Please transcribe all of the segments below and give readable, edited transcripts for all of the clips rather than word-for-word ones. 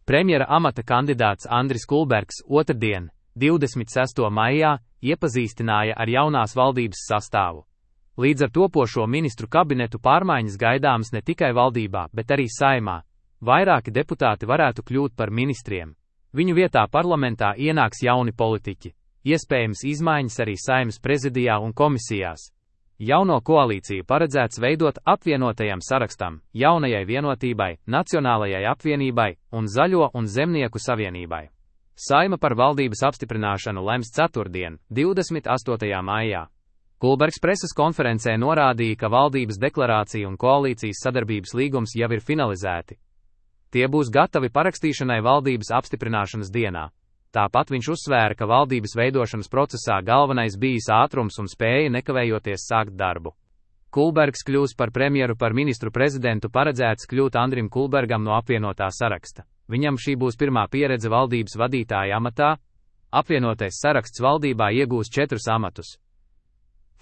Premjera amata kandidāts Andris Kulbergs otrdien, 26. maijā, iepazīstināja ar jaunās valdības sastāvu. Līdz ar topošo ministru kabinetu pārmaiņas gaidāmas ne tikai valdībā, bet arī Saeimā. Vairāki deputāti varētu kļūt par ministriem. Viņu vietā parlamentā ienāks jauni politiķi. Iespējams izmaiņas arī Saeimas prezidijā un komisijās. Jauno koalīciju paredzēts veidot apvienotajam sarakstam, jaunajai vienotībai, Nacionālajai apvienībai un Zaļo un Zemnieku savienībai. Saeima par valdības apstiprināšanu lems ceturtdien, 28. maijā. Kulbergs preses konferencē norādīja, ka valdības deklarācija un koalīcijas sadarbības līgums jau ir finalizēti. Tie būs gatavi parakstīšanai valdības apstiprināšanas dienā. Tāpat viņš uzsvēra, ka valdības veidošanas procesā galvenais bijis ātrums un spēja nekavējoties sākt darbu. Kulbergs kļūs par premjeru, par ministru prezidentu paredzēts kļūt Andrim Kulbergam no apvienotā saraksta. Viņam šī būs pirmā pieredze valdības vadītāja amatā. Apvienotais saraksts valdībā iegūs 4 amatus.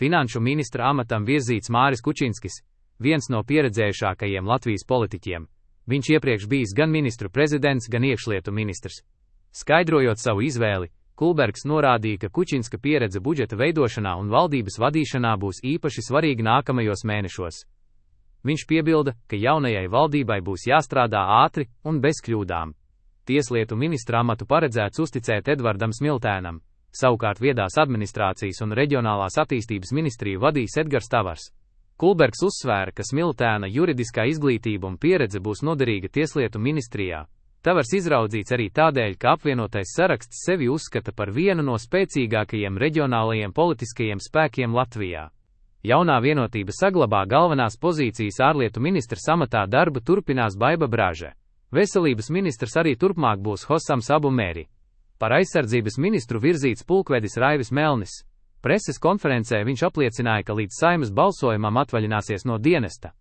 Finanšu ministra amatam virzīts Māris Kučinskis, viens no pieredzējušākajiem Latvijas politiķiem. Viņš iepriekš bijis gan ministru prezidents, gan iekšlietu ministrs. Skaidrojot savu izvēli, Kulbergs norādīja, ka Kučinska pieredze budžeta veidošanā un valdības vadīšanā būs īpaši svarīga nākamajos mēnešos. Viņš piebilda, ka jaunajai valdībai būs jāstrādā ātri un bez kļūdām. Tieslietu ministra amatu paredzēts uzticēt Edvardam Smiltēnam, savukārt viedās administrācijas un reģionālās attīstības ministriju vadīs Edgars Tavars. Kulbergs uzsvēra, ka Smiltēna juridiskā izglītība un pieredze būs noderīga tieslietu ministrijā. Tavars izraudzīts arī tādēļ, ka apvienotais saraksts sevi uzskata par vienu no spēcīgākajiem reģionālajiem politiskajiem spēkiem Latvijā. Jaunā vienotība saglabā galvenās pozīcijas ārlietu ministrs amatā, darbu turpinās Baiba Braže. Veselības ministrs arī turpmāk būs Hosams Abu Mēri. Par aizsardzības ministru virzīts pulkvedis Raivis Melnis. Preses konferencē viņš apliecināja, ka līdz Saeimas balsojumam atvaļināsies no dienesta.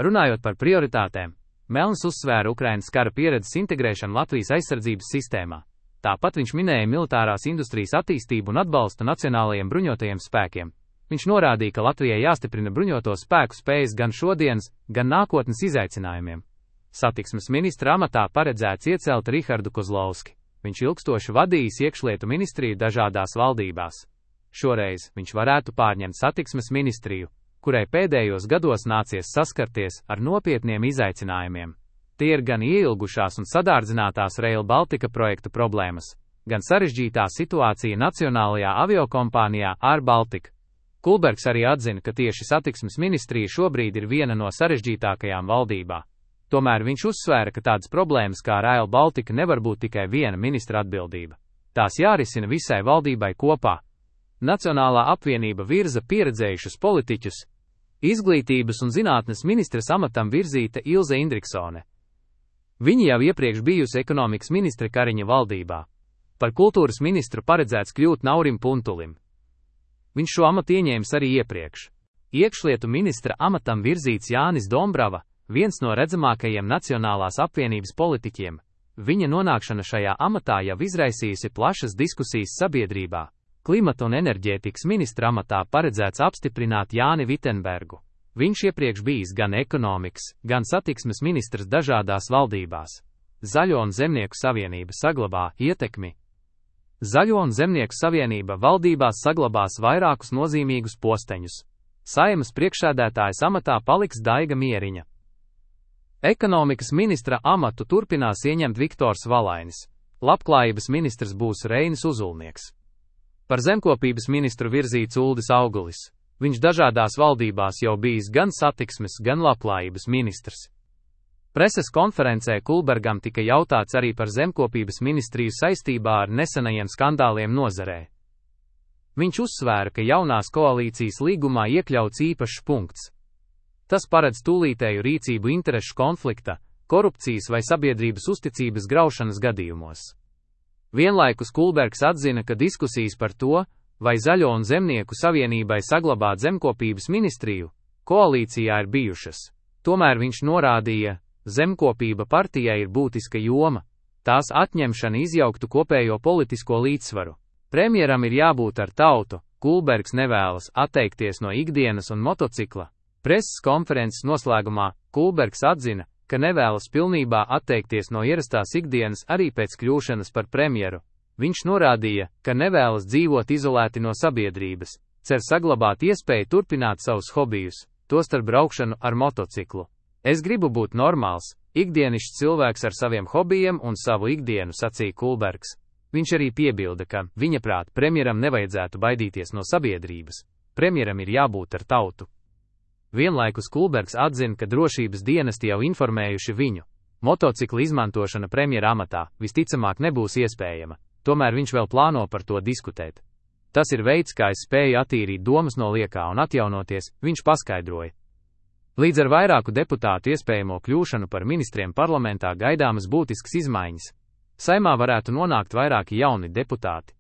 Runājot par prioritātēm, Melnis uzsvēra Ukrainas kara pieredzes integrēšanu Latvijas aizsardzības sistēmā. Tāpat viņš minēja militārās industrijas attīstību un atbalstu nacionālajiem bruņotajiem spēkiem. Viņš norādīja, ka Latvijai jāstiprina bruņoto spēku spējas gan šodienas, gan nākotnes izaicinājumiem. Satiksmes ministra amatā paredzēts iecelt Rihardu Kozlovski. Viņš ilgstoši vadījis iekšlietu ministriju dažādās valdībās. Šoreiz viņš varētu pārņemt satiksmes ministriju, kurai pēdējos gados nācies saskarties ar nopietniem izaicinājumiem. Tie ir gan ieilgušās un sadārdzinātās Rail Baltica projektu problēmas, gan sarežģītā situācija nacionālajā aviokompānijā Air Baltica. Kulbergs arī atzina, ka tieši satiksmes ministrija šobrīd ir viena no sarežģītākajām valdībā. Tomēr viņš uzsvēra, ka tādas problēmas kā Rail Baltica nevar būt tikai viena ministra atbildība. Tās jārisina visai valdībai kopā. Nacionālā apvienība virza pieredzējušus politiķus. Izglītības un zinātnes ministres amatam virzīta Ilze Indriksone. Viņa jau iepriekš bijusi ekonomikas ministre Kariņa valdībā. Par kultūras ministru paredzēts kļūt Naurim Puntulim. Viņš šo amatu ieņēmis arī iepriekš. Iekšlietu ministra amatam virzīts Jānis Dombrava, viens no redzamākajiem Nacionālās apvienības politiķiem. Viņa nonākšana šajā amatā jau izraisījusi plašas diskusijas sabiedrībā. Klimata un enerģētikas ministra amatā paredzēts apstiprināt Jāni Vitenbergu. Viņš iepriekš bijis gan ekonomikas, gan satiksmes ministrs dažādās valdībās. Zaļo un Zemnieku savienība saglabā ietekmi. Zaļo un Zemnieku savienība valdībās saglabās vairākus nozīmīgus posteņus. Saeimas priekšsēdētājas amatā paliks Daiga Mieriņa. Ekonomikas ministra amatu turpinās ieņemt Viktors Valainis. Labklājības ministrs būs Reinis Uzulnieks. Par zemkopības ministru virzīts Uldis Augulis. Viņš dažādās valdībās jau bijis gan satiksmes, gan labklājības ministrs. Preses konferencē Kulbergam tika jautāts arī par zemkopības ministriju saistībā ar nesenajiem skandāliem nozarē. Viņš uzsvēra, ka jaunās koalīcijas līgumā iekļauts īpašs punkts. Tas paredz tūlītēju rīcību interešu konflikta, korupcijas vai sabiedrības uzticības graušanas gadījumos. Vienlaikus Kulbergs atzina, ka diskusijas par to, vai Zaļo un Zemnieku savienībai saglabāt zemkopības ministriju, koalīcijā ir bijušas. Tomēr viņš norādīja, zemkopība partijai ir būtiska joma, tās atņemšana izjauktu kopējo politisko līdzsvaru. Premjeram ir jābūt ar tautu, Kulbergs nevēlas atteikties no ikdienas un motocikla. Preses konferences noslēgumā Kulbergs atzina, ka nevēlas pilnībā atteikties no ierastās ikdienas arī pēc kļūšanas par premjeru. Viņš norādīja, ka nevēlas dzīvot izolēti no sabiedrības, cer saglabāt iespēju turpināt savus hobijus, tostarp braukšanu ar motociklu. Es gribu būt normāls, ikdienišķs cilvēks ar saviem hobijiem un savu ikdienu, sacīja Kulbergs. Viņš arī piebilda, ka, viņaprāt, premjeram nevajadzētu baidīties no sabiedrības. Premjeram ir jābūt ar tautu. Vienlaikus Kulbergs atzina, ka drošības dienesti jau informējuši viņu. Motocikla izmantošana premjera amatā visticamāk nebūs iespējama, tomēr viņš vēl plāno par to diskutēt. Tas ir veids, kā es spēju attīrīt domas no liekā un atjaunoties, viņš paskaidroja. Līdz ar vairāku deputātu iespējamo kļūšanu par ministriem parlamentā gaidāmas būtiskas izmaiņas. Saimā varētu nonākt vairāki jauni deputāti.